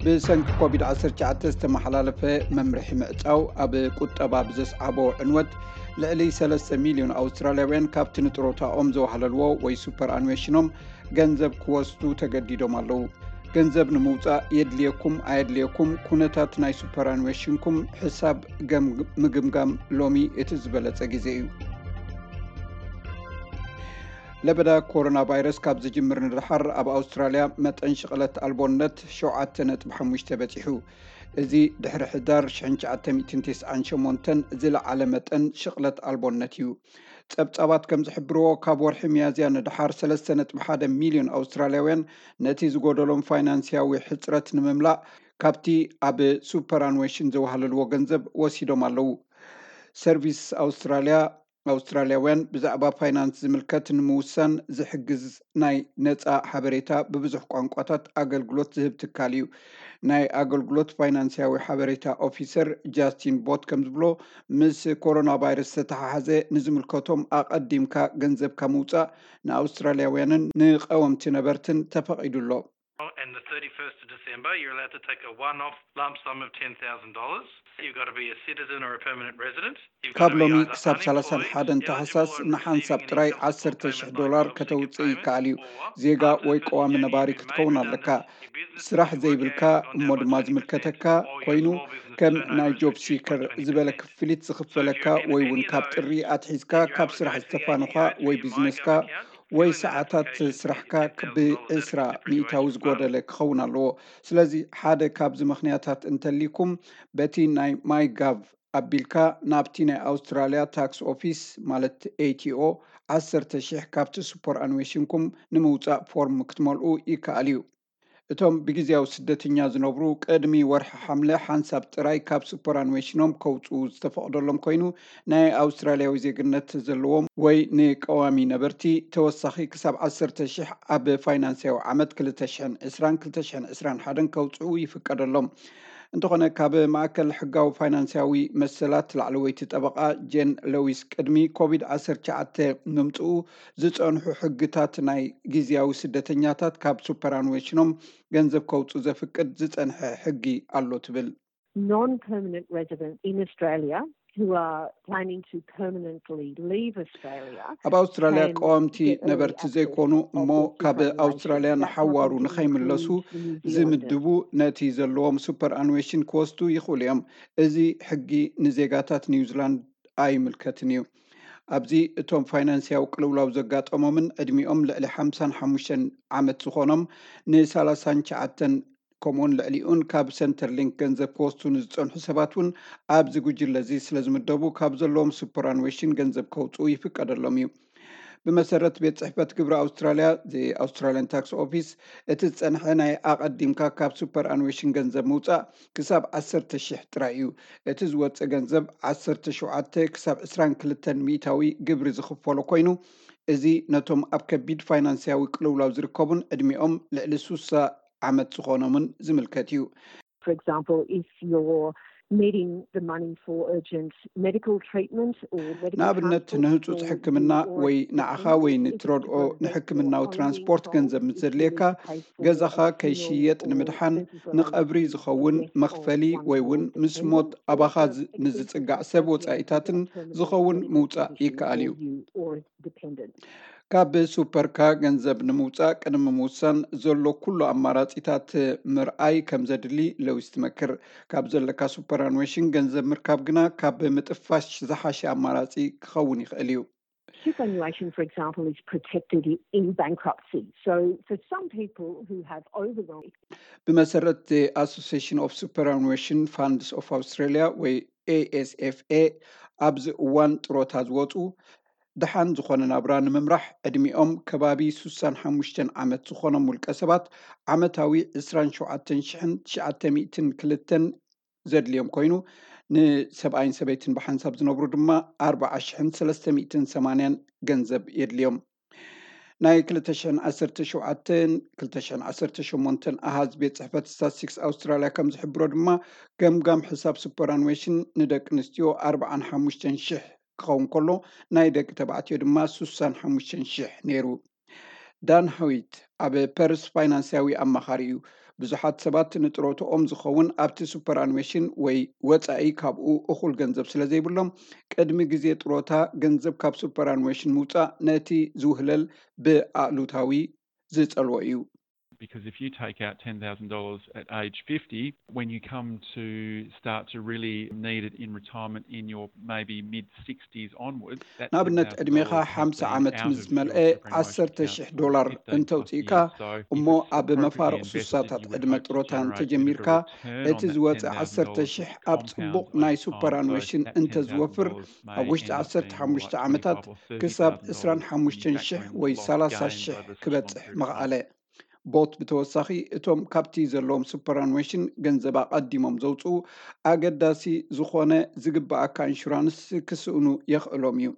ብሰንኪ ኮቪድ ዓሰርተ ትሽዓተ ዝተመሓላለፈ መምርሒ ምዕጻው ኣብ ቁጠባ ብዘስዓቦ ዕንወት፣ ልዕሊ ሰለስተ ሚልዮን ኣውስትራልያውያን ካብቲ ንጥሮታኦም ዘዋህለልዎ ወይ ሱፐር ኣንዌሽኖም ገንዘብ ክወስዱ ተገዲዶም ኣለዉ። ገንዘብ ንምውጻእ የድልየኩም ኣየድልየኩም፣ ኩነታት ናይ ሱፐር ኣንዌሽንኩም ሕሳብ ገም-፣ ምግምጋም ሎሚ እቲ ዝበለጸ ግዜ እዩ። ለበዳ ኮሮና ቫይረስ ካብ ዝጅምር ንደሓር ኣብ ኣውስትራልያ መጠን ሽቕለት ኣልቦነት ሸውዓተ ነጥቢ ሓሙሽተ በጺሑ። እዚ ድሕሪ ሕዳር ሽሕን ትሽዓተ ሚእትን ተስዓን ሸሞንተን ዝለዓለ መጠን ሽቕለት ኣልቦነት እዩ። ጸብጻባት ከም ዝሕብርዎ፣ ካብ ወርሒ ሚያዝያ ንደሓር ሰለስተ ነጥቢ ሓደ ሚልዮን ኣውስትራልያውያን ነቲ ዝጎደሎም ፋይናንስያዊ ሕጽረት ንምምላእ ካብቲ ኣብ ሱፐር ኣንዌሽን ዘዋህለልዎ ገንዘብ ወሲዶም ኣለዉ። ሰርቪስ ኣውስትራልያ፣ ኣውስትራልያውያን ብዛዕባ ፋይናንስ ዝምልከት ንምውሳን ዝሕግዝ ናይ ነጻ ሓበሬታ ብብዙሕ ቋንቋታት ኣገልግሎት ዝህብ ትካል እዩ። ናይ ኣገልግሎት ፋይናንስያዊ ሓበሬታ ኦፊሰር ጃስቲን ቦት ከም ዝብሎ፣ ምስ ኮሮና ቫይረስ ዝተተሓሓዘ ንዝምልከቶም ኣቐዲምካ ገንዘብካ ምውጻእ ንኣውስትራልያውያንን ንቀወምቲ ነበርትን ተፈቒዱ ኣሎ። And the thirty-first of December, you're allowed to take a one-off lump sum of ten thousand dollars. You've got to be a citizen or a permanent resident. You've got ካብ to be ሎሚ either ክሳብ ሰላሳን ሓደን unemployed, ታህሳስ eligible or ንሓንሳብ receiving ጥራይ any government ዓሰርተ ሺሕ payment ዶላር like government ከተውፅእ payment, ይከኣል እዩ። or ዜጋ after ወይ the ቀዋሚ January ነባሪ redundancy, ክትከውን your ኣለካ። business ስራሕ will be ዘይብልካ capped at እሞ ድማ one point two percent, ዝምልከተካ or your ኮይኑ small business ከም turnover ናይ is ጆብ reduced by ሲከር twenty percent. ዝበለ ክፍሊት So if ዝኽፈለካ you're in ወይ any እውን of ካብ those, ጥሪ ኣትሒዝካ you only ካብ have to ስራሕ go to the ዝተፋንኻ A T O, to ወይ your ቢዝነስካ MyGov account, ወይ fill in an ሰዓታት application, ስራሕካ get your ten thousand dollars out of ብዕስራ your ሚእታዊ superannuation fund. ዝጎደለ ክኸውን ኣለዎ። ስለዚ ሓደ ካብዚ ምኽንያታት እንተሊኩም በቲ ናይ ማይ ጋቭ ኣቢልካ ናብቲ ናይ ኣውስትራልያ ታክስ ኦፊስ ማለት ኤ ቲ ኦ ዓሰርተ ሺሕ ካብቲ ሱፐር ኣንዌሽንኩም ንምውጻእ ፎርም ክትመልኡ ይከኣል እዩ። እቶም ብግዜያዊ ስደተኛ ዝነብሩ ቅድሚ ወርሒ ሓምለ ሓንሳብ ጥራይ ካብ ሱፐር ኣንዌሽኖም ከውፅኡ ዝተፈቕደሎም ኮይኑ፣ ናይ ኣውስትራልያዊ ዜግነት ዘለዎም ወይ ንቀዋሚ ነበርቲ ተወሳኺ ክሳብ ዓሰርተ ሺሕ ኣብ ፋይናንስያዊ ዓመት ክልተ ሽሕን ዕስራን ክልተ ሽሕን ዕስራን ሓደን ከውፅኡ ይፍቀደሎም። እንተኾነ ካብ ማእከል ሕጋዊ ፋይናንስያዊ መሰላት ላዕለወይቲ ጠበቓ ጄን ለዊስ ቅድሚ ኮቪድ ዓሰርተ ትሽዓተ ምምፅኡ ዝፀንሑ ሕግታት ናይ ግዜያዊ ስደተኛታት ካብ ሱፐር ኣንዌሽኖም ገንዘብ ከውፁ ዘፍቅድ ዝፀንሐ ሕጊ ኣሎ ትብል። Non-permanent residents in Australia who are planning to permanently leave Australia ኣብ ኣውስትራልያ can ቀዋምቲ get early ነበርቲ access ዘይኮኑ of እሞ the ካብ superannuation. ኣውስትራልያ That ንሓዋሩ doesn't ንኸይምለሱ include New Zealanders. ዝምድቡ ነቲ ዘለዎም ሱፐር ኣንዌሽን ክወስዱ ይኽእሉ እዮም። እዚ ሕጊ ንዜጋታት ኒውዚላንድ ኣይምልከትን እዩ። ኣብዚ እቶም ፋይናንስያዊ ቅልውላው ዘጋጠሞምን ዕድሚኦም ልዕሊ ሓምሳን ሓሙሽተን ዓመት ዝኾኖም ንሳላሳን ትሽዓተን ከምኡውን ልዕሊኡን ካብ ሰንተርሊንክ ገንዘብ ክወስዱ ንዝጸንሑ ሰባት እውን ኣብዚ ጉጅለ እዚ ስለ ዝምደቡ ካብ ዘለዎም ሱፐር ኣንዌሽን ገንዘብ ከውፅኡ ይፍቀደሎም እዩ። ብመሰረት ቤት ጽሕፈት ግብሪ ኣውስትራልያ፣ ኣውስትራልያን ታክስ ኦፊስ፣ እቲ ዝጸንሐ ናይ ኣቐዲምካ ካብ ሱፐር ኣንዌሽን ገንዘብ ምውጻእ ክሳብ ዓሰርተ ሺሕ ጥራይ እዩ። እቲ ዝወጽእ ገንዘብ ዓሰርተ ሸውዓተ ክሳብ ዕስራን ክልተን ሚእታዊ ግብሪ ዝኽፈሎ ኮይኑ፣ እዚ ነቶም ኣብ ከቢድ ፋይናንስያዊ ቅልውላው ዝርከቡን ዕድሚኦም ልዕሊ ሱሳ ዓመት ዝኾኖምን ዝምልከት እዩ። For example, if you're needing the money for urgent medical treatment or medical ንኣብነት transport ንህጹጽ for ሕክምና you or ወይ a ንዓኻ friend, ወይ it's ንትረድኦ a great ንሕክምናዊ home ትራንስፖርት need ገንዘብ goal ምስ if you ዘድልየካ need to pay for ገዛኻ a funeral ከይሽየጥ or ንምድሓን medical ንቐብሪ aid ዝኸውን for the death መኽፈሊ of one ወይ እውን close ምስ ሞት dependent or ኣባኻ a ዝ- ንዝጽጋዕ ሰብ ወጻኢታትን ዝኸውን ምውጻእ ይከኣል እዩ። ካብ ሱፐርካ ገንዘብ ንምውጻእ ቅድሚ ምውሳን ዘሎ ኩሉ ኣማራጺታት ምርኣይ ከም ዘድሊ ለዊስ ትመክር። ካብ ዘለካ ሱፐር ኣንዌሽን ገንዘብ ምርካብ ግና ካብ ምጥፋሽ ዝሓሸ ኣማራጺ ክኸውን ይኽእል እዩ። Superannuation, for example, is protected in bankruptcy. So for some people who have overwhelmed ብመሰረት ኣሶሲሽን ኦፍ ሱፐር ኣንዌሽን ፋንድስ ኦፍ ኣውስትራሊያ ወይ ኤ ኤስ ኤፍ ኤ፣ ኣብዚ እዋን ጥሮታ ዝወፁ ድሓን ዝኾነ ናብራ ንምምራሕ ዕድሚኦም ከባቢ ሱሳን ሓሙሽተን ዓመት ዝኾኖም ውልቀ ሰባት ዓመታዊ ዕስራን ሸውዓተን ሽሕን ትሽዓተ ሚእትን ክልተን ዘድልዮም ኮይኑ፣ ንሰብኣይን ሰበይትን ብሓንሳብ ዝነብሩ ድማ ኣርባዓ ሽሕን ሰለስተ ሚእትን ሰማንያን ገንዘብ የድልዮም። ናይ ክልተ ሽሕን ዓሰርተ ሸውዓተን ክልተ ሽሕን ዓሰርተ ሸሞንተን ኣሃዝ ቤት ጽሕፈት ስታትስቲክስ ኣውስትራልያ ከም ዝሕብሮ ድማ፣ ገምጋም ሕሳብ ሱፐር ኣንዌሽን ንደቂ ኣንስትዮ ኣርባዓን ሓሙሽተን ሽሕ ክኸውን ከሎ፣ ናይ ደቂ ተባዕትዮ ድማ ሱሳን ሓሙሽተን ሽሕ ነይሩ። ዳን ሃዊት ኣብ ፐርስ ፋይናንስያዊ ኣማኻሪ እዩ። ብዙሓት ሰባት ንጥሮትኦም ዝኸውን ኣብቲ ሱፐር ኣንዌሽን ወይ ወጻኢ ካብኡ እኹል ገንዘብ ስለ ዘይብሎም፣ ቅድሚ ግዜ ጥሮታ ገንዘብ ካብ ሱፐር ኣንዌሽን ምውጻእ ነቲ ዝውህለል ብኣሉታዊ ዝጸልዎ እዩ። Because if you take out ten thousand dollars at age fifty, when you come to start to really need it in retirement in your maybe mid sixties onwards, ንኣብነት ዕድሜኻ ሓምሳ ዓመት ምስ ዝመልአ ዓሰርተ ሽሕ ዶላር እንተውፅእካ እሞ ኣብ መፋርቕ ሱሳታት ዕድመ ጥሮታ እንተጀሚርካ እቲ ዝወፀ ዓሰርተ ሽሕ ኣብ ፅቡቕ ናይ ሱፐር ኣንዌሽን እንተዝወፍር ኣብ ውሽጢ ዓሰርተ ሓሙሽተ ዓመታት ክሳብ ዕስራን ሓሙሽተን ሽሕ ወይ ሰላሳ ሽሕ ክበፅሕ ምኽኣለ። ቦት ብተወሳኺ እቶም ካብቲ ዘለዎም ሱፐር ኣንዌሽን ገንዘብ ኣቐዲሞም ዘውፅኡ ኣገዳሲ ዝኾነ ዝግበኣካ ኢንሹራንስ ክስእኑ የኽእሎም እዩ።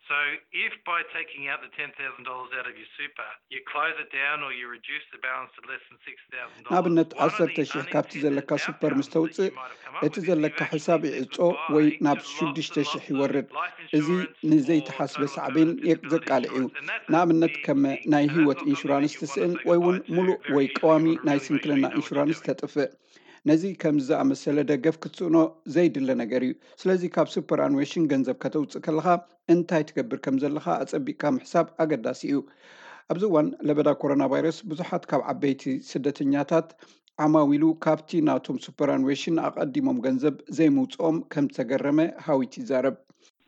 So if by taking out the ten thousand dollars out of your super, you close it down or you reduce the balance to less than six thousand dollars, ንኣብነት ዓሰርተ ሽሕ ካብቲ ዘለካ ሱፐር ምስ ተውፅእ እቲ ዘለካ ሕሳብ ይዕጾ ወይ ናብ ሽዱሽተ ሽሕ ይወርድ። እዚ ንዘይተሓስበ ሳዕቤን ዘቃልዕ እዩ። ንኣብነት ከም ናይ ህይወት ኢንሹራንስ ትስእን ወይ እውን ሙሉእ ወይ ቀዋሚ ናይ ስንክልና ኢንሹራንስ ተጥፍእ። ነዚ ከምዚ ዝኣመሰለ ደገፍ ክትስእኖ ዘይድለ ነገር እዩ። ስለዚ ካብ ሱፐር ኣንዌሽን ገንዘብ ከተውፅእ ከለኻ እንታይ ትገብር ከም ዘለኻ ኣጸቢቕካ ምሕሳብ ኣገዳሲ እዩ። ኣብዚ እዋን ለበዳ ኮሮና ቫይረስ ብዙሓት ካብ ዓበይቲ ስደተኛታት ዓማዊሉ ካብቲ ናቶም ሱፐር ኣንዌሽን ኣቐዲሞም ገንዘብ ዘይምውፅኦም ከም ዝተገረመ ሃዊት ይዛረብ።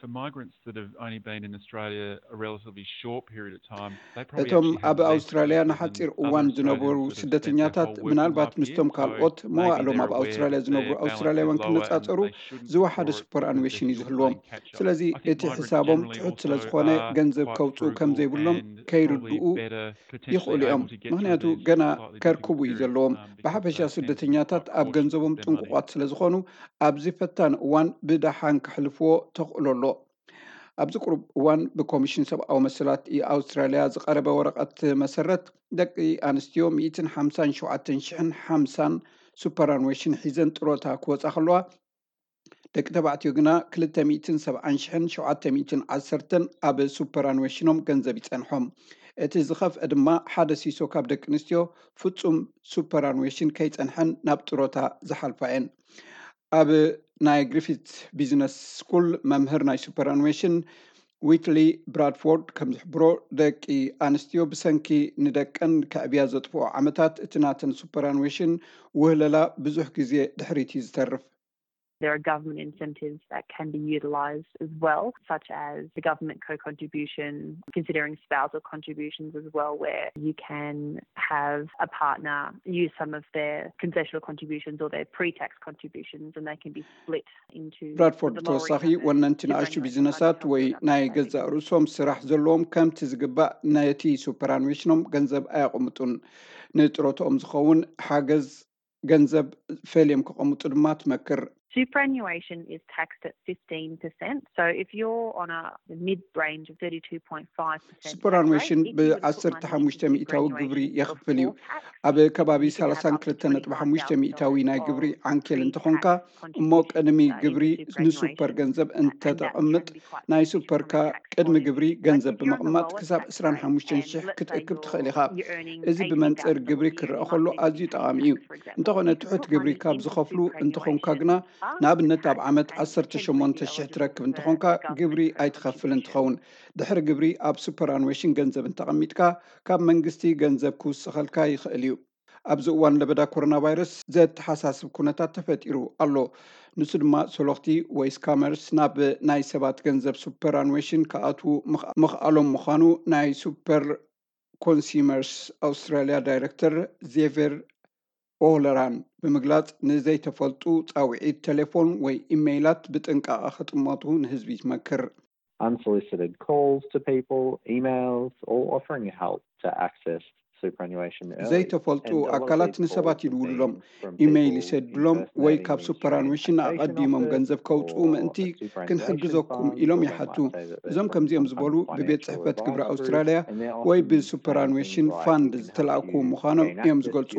For migrants that have only been in Australia a relatively short period of time, they probably እቶም actually ኣብ have less ኣውስትራልያ than ንሓፂር other እዋን Australians ዝነበሩ that have spent their ስደተኛታት whole working ምናልባት life ምስቶም here. ካልኦት So maybe መዋእሎም they're ኣብ aware ኣውስትራልያ that ዝነብሩ their balance is ኣውስትራልያውያን lower and ክነፃፀሩ they shouldn't ዝወሓደ withdraw it ሱፐር because they're ኣንዌሽን እዩ still ዝህልዎም። playing catch up. ስለዚ I think እቲ migrants ሕሳቦም generally ትሑት ስለ also ዝኾነ are ገንዘብ quite ከውፅኡ ከም frugal ዘይብሎም and ከይርድኡ probably better potentially ይኽእሉ እዮም። able to get through ምክንያቱ these ገና slightly ከርክቡ difficult እዩ periods ዘለዎም። um, because ብሓፈሻ they tend to be ስደተኛታት quite ኣብ cautious ገንዘቦም with their money. ጥንቁቋት ስለ ዝኾኑ ኣብዚ ፈታኒ እዋን ብደሓን ክሕልፍዎ ተኽእሎ ኣሎ። ኣብዚ ቁሩብ እዋን ብኮሚሽን ሰብኣዊ መሰላት ኣውስትራልያ ዝቐረበ ወረቐት መሰረት ደቂ ኣንስትዮ ሚእትን ሓምሳን ሸውዓተን ሽሕን ሓምሳን ሱፐር ኣንዌሽን ሒዘን ጥሮታ ክወፃ ከለዋ ደቂ ተባዕትዮ ግና ክልተ ሚእትን ሰብዓን ሽሕን ሸውዓተ ሚእትን ዓሰርተን ኣብ ሱፐር ኣንዌሽኖም ገንዘብ ይፀንሖም። እቲ ዝኸፍአ ድማ ሓደ ሲሶ ካብ ደቂ ኣንስትዮ ፍጹም ሱፐር ኣንዌሽን ከይፀንሐን ናብ ጥሮታ ዝሓልፋ እየን። ኣብ ናይ ግሪፊት ቢዝነስ ስኩል መምህር ናይ ሱፐር ኣንዌሽን ዊትሊ ብራድፎርድ ከም ዝሕብሮ ደቂ ኣንስትዮ ብሰንኪ ንደቀን ከዕብያ ዘጥፍኦ ዓመታት እቲ ናተን ሱፐር ኣንዌሽን ውህለላ ብዙሕ ግዜ ድሕሪት እዩ ዝተርፍ። There are government incentives that can be utilised as well, such as the government co-contribution, considering spousal contributions as well, where you can have a partner use some of their concessional contributions or their pre-tax contributions and they can be split into ብራድፎርድ ተወሳኺ ወነንቲ ንኣሽቱ ቢዝነሳት ወይ ናይ ገዛእ ርእሶም ስራሕ ዘለዎም ከምቲ ዝግባእ ነቲ ሱፐር ኣንዌሽኖም ገንዘብ ኣየቕምጡን። ንጥሮትኦም ዝኸውን ሓገዝ ገንዘብ ፈልዮም ከቐምጡ ድማ ትመክር። Superannuation is taxed at fifteen percent. So if you're on a mid range of thirty-two point five percent, ሱፐር ኣንዌሽን ብዓሰርተ ሓሙሽተ ሚእታዊ ግብሪ የኽፍል እዩ። ኣብ ከባቢ ሰላሳን ክልተ ነጥቢ ሓሙሽተ ሚእታዊ ናይ ግብሪ ዓንኬል እንተኾንካ እሞ ቅድሚ ግብሪ ንሱፐር ገንዘብ እንተተቐምጥ ናይ ሱፐርካ ቅድሚ ግብሪ ገንዘብ ብምቕማጥ ክሳብ ዕስራን ሓሙሽተን ሽሕ ክትእክብ ትኽእል ኢኻ። እዚ ብመንፅር ግብሪ ክረአ ከሎ ኣዝዩ ጠቓሚ እዩ። እንተኾነ ትሑት ግብሪ ካብ ዝኸፍሉ እንተኾንካ ግና ንኣብነት ኣብ ዓመት ዓሰርተ ሸሞንተ ሽሕ ትረክብ እንተኾንካ ግብሪ ኣይትኸፍልን ትኸውን። ድሕሪ ግብሪ ኣብ ሱፐር ኣንዌሽን ገንዘብ እንተቐሚጥካ ካብ መንግስቲ ገንዘብ ክውሰኸልካ ይኽእል እዩ። ኣብዚ እዋን ለበዳ ኮሮና ቫይረስ ዘተሓሳስብ ኩነታት ተፈጢሩ ኣሎ። ንሱ ድማ ሶሎኽቲ ወይ ስካመርስ ናብ ናይ ሰባት ገንዘብ ሱፐር ኣንዌሽን ክኣትዉ ምኽኣሎም ምዃኑ ናይ ሱፐር ኮንሱመርስ ኣውስትራልያ ዳይረክተር ዜቨር ኦለራን ብምግላጽ ንዘይተፈልጡ ጻውዒት ቴሌፎን ወይ ኢሜይላት ብጥንቃቐ ክጥመቱ ንህዝቢ ይመክር። Unsolicited calls to people, emails, or offering help to access superannuation early. ዘይተፈልጡ ኣካላት ንሰባት ይድውሉሎም፣ ኢሜይል ይሰድሎም ወይ ካብ ሱፐር ኣንዌሽን ኣቐዲሞም ገንዘብ ከውፅኡ ምእንቲ ክንሕግዘኩም ኢሎም ይሓቱ። እዞም ከምዚኦም ዝበሉ ብቤት ጽሕፈት ግብሪ ኣውስትራልያ ወይ ብሱፐር ኣንዌሽን ፋንድ ዝተላእኩ ምዃኖም እዮም ዝገልጹ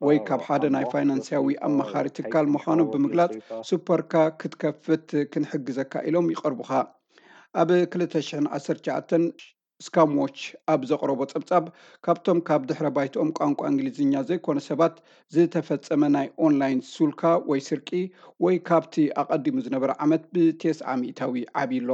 ወይ ካብ ሓደ ናይ ፋይናንስያዊ ኣማኻሪ ትካል ምዃኖም ብምግላጽ ሱፐርካ ክትከፍት ክንሕግዘካ ኢሎም ይቐርቡኻ። ኣብ ክልተ ሽሕን ዓሰርተ ትሽዓተን ስካም ዎች ኣብ ዘቕረቦ ጸብጻብ፣ ካብቶም ካብ ድሕረ ባይትኦም ቋንቋ እንግሊዝኛ ዘይኮነ ሰባት ዝተፈጸመ ናይ ኦንላይን ሱልካ ወይ ስርቂ፣ ወይ ካብቲ ኣቐዲሙ ዝነበረ ዓመት ብተስዓ ሚእታዊ ዓብዩ ኣሎ።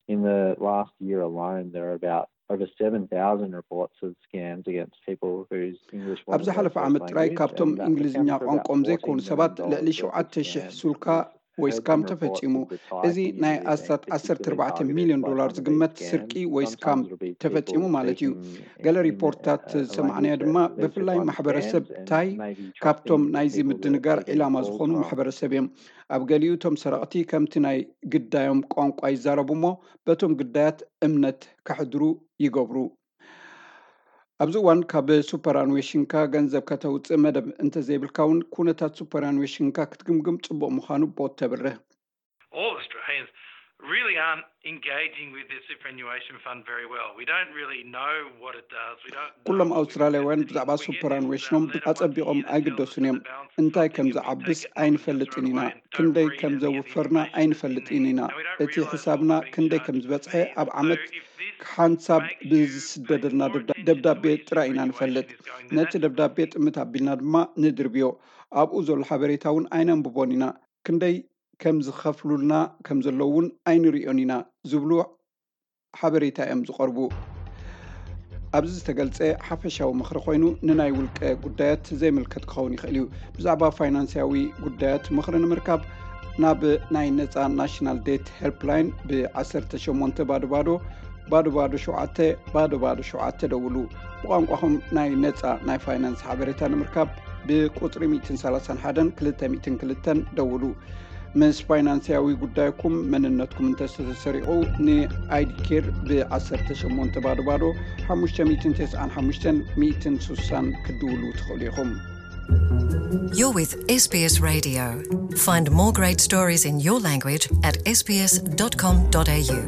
In the last year alone, there are about over seven thousand reports of scams against people whose English wasn't ኣብ ዝሓለፈ their ዓመት first ጥራይ language, ካብቶም and that እንግሊዝኛ accounts for about ቋንቋኦም ዘይኮኑ fourteen million ሰባት ልዕሊ dollars worth ሸውዓተ of ሺሕ scams. ሱልካ We've ወይ heard ስካም some reports ተፈጺሙ። of the type እዚ that you ናይ may be ኣስታት ዓሰርተ particularly ኣርባዕተ targeted ሚልዮን against. ዶላር Some ዝግመት of these ስርቂ scams, ወይ ስካም sometimes it'll be ተፈጺሙ people ማለት እዩ። speaking ገለ in, ሪፖርታት uh, a language ዝሰማዕናዮ that, ድማ that they just ብፍላይ ማሕበረሰብ understand and ታይ maybe ካብቶም trusting ናይዚ people ምድንጋር that are ዒላማ getting ዝኾኑ calls from. ማሕበረሰብ እዮም። ኣብ ገሊኡ እቶም ሰረቕቲ ከምቲ ናይ ግዳዮም ቋንቋ ይዛረቡ እሞ በቶም ግዳያት እምነት ከሕድሩ ይገብሩ። ኣብዚ እዋን ካብ ሱፐር ኣንዌሽንካ ገንዘብ ከተውፅእ መደብ እንተዘይብልካ እውን ኩነታት ሱፐር ኣንዌሽንካ ክትግምግም ፅቡቕ ምዃኑ ቦት ተብርህ። All Australians really aren't engaging with the superannuation fund very well. We don't really know what it does. We don't know ኩሎም what we're ኣውስትራልያውያን investing in. ብዛዕባ We get ሱፐር this, ኣንዌሽኖም um, letter once a ኣጸቢቖም year that tells us ኣይግደሱን እዮም። that the balance is እንታይ something ከም and we ዝዓብስ take it and we just ኣይንፈልጥን throw it ኢና። away and don't ክንደይ really ከም know what the ዘውፈርና information ኣይንፈልጥን means. ኢና። And we don't እቲ realise ሕሳብና what we're being ክንደይ charged ከም ዝበጽሐ for. ኣብ So ዓመት if this ሓንሳብ makes you ብዝስደደልና pay more ደብዳ- attention to ደብዳቤ where your ጥራይ ኢና superannuation ንፈልጥ። is going, then ነቲ that's ደብዳቤ ጥምት ኣቢልና ድማ ንድርብዮ። ኣብኡ ዘሎ ሓበሬታ እውን ኣይነንብቦን ኢና። ክንደይ ከም ዝኸፍሉልና ከም ዘለዉ እውን ኣይንሪኦን ኢና ዝብሉ ሓበሬታ እዮም ዝቐርቡ። ኣብዚ ዝተገልጸ ሓፈሻዊ ምኽሪ ኮይኑ ንናይ ውልቀ ጉዳያት ዘይምልከት ክኸውን ይኽእል እዩ። ብዛዕባ ፋይናንስያዊ ጉዳያት ምኽሪ ንምርካብ ናብ ናይ ነጻ ናሽናል ዴት ሄልፕላይን ብ ዓሰርተ ሸሞንተ ባዶ ባዶ ባዶ ባዶ ሸውዓተ ባዶ ባዶ ሸውዓተ ደውሉ። ብቋንቋኹም ናይ ነጻ ናይ ፋይናንስ ሓበሬታ ንምርካብ ብቁጽሪ ሚእትን ሰላሳን ሓደን ክልተ ሚእትን ክልተን ደውሉ። ምስ ፋይናንስያዊ ጉዳይኩም መንነትኩም እንተተሰሪቑ ን ኣይዲ ኬር ብ ዓሰርተ ሸሞንተ ባዶ ባዶ ሓሙሽተ ሚእትን ተስዓን ሓሙሽተን ሚእትን ስሳን ክትድውሉ ትኽእሉ ኢኹም። You're with S B S Radio. Find more great stories in your language at S B S dot com dot A U.